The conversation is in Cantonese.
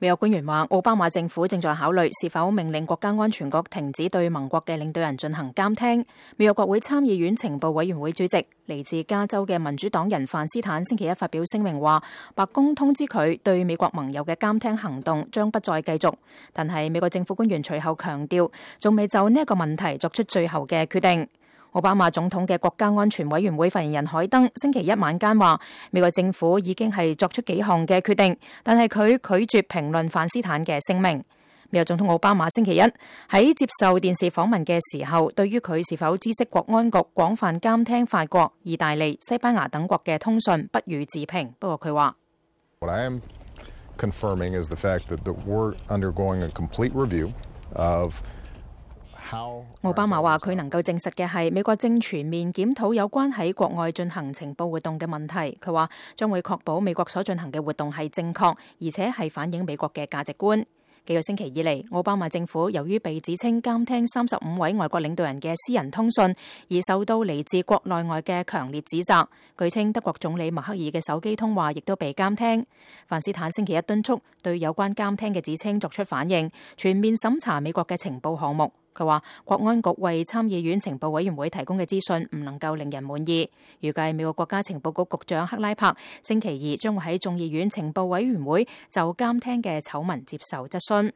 美國官員話，奧巴馬政府正在考慮是否命令國家安全局停止對盟國嘅領導人進行監聽。美國國會參議院情報委員會主席嚟自加州嘅民主黨人范斯坦星期一發表聲明話，白宮通知佢對美國盟友嘅監聽行動將不再繼續。但係美國政府官員隨後強調，仲未就呢一個問題作出最後嘅決定。奧巴馬總統嘅國家安全委員會發言人海登星期一晚間話，美國政府已經係作出幾項嘅決定，但係佢拒絕評論范斯坦嘅聲明。美國總統奧巴馬星期一喺接受電視訪問嘅時候，對於佢是否知悉國安局廣泛監聽法國、意大利、西班牙等國嘅通訊，不予置評。不過佢話，What I am confirming is the fact that we're undergoing a complete review of。奧巴馬話佢能夠證實嘅係美國正全面檢討有關喺國外進行情報活動嘅問題。佢話將會確保美國所進行嘅活動係正確，而且係反映美國嘅價值觀。幾個星期以嚟，奧巴馬政府由於被指稱監聽35位外國領導人嘅私人通訊，而受到嚟自國內外嘅強烈指責。據稱德國總理默克爾嘅手機通話亦都被監聽。范斯坦星期一敦促對有關監聽嘅指稱作出反應，全面審查美國嘅情報項目。佢話國安局為參議院情報委員會提供嘅資訊唔能夠令人滿意。預計美國國家情報局局長克拉柏星期二將會喺眾議院情報委員會就監聽嘅醜聞接受質詢。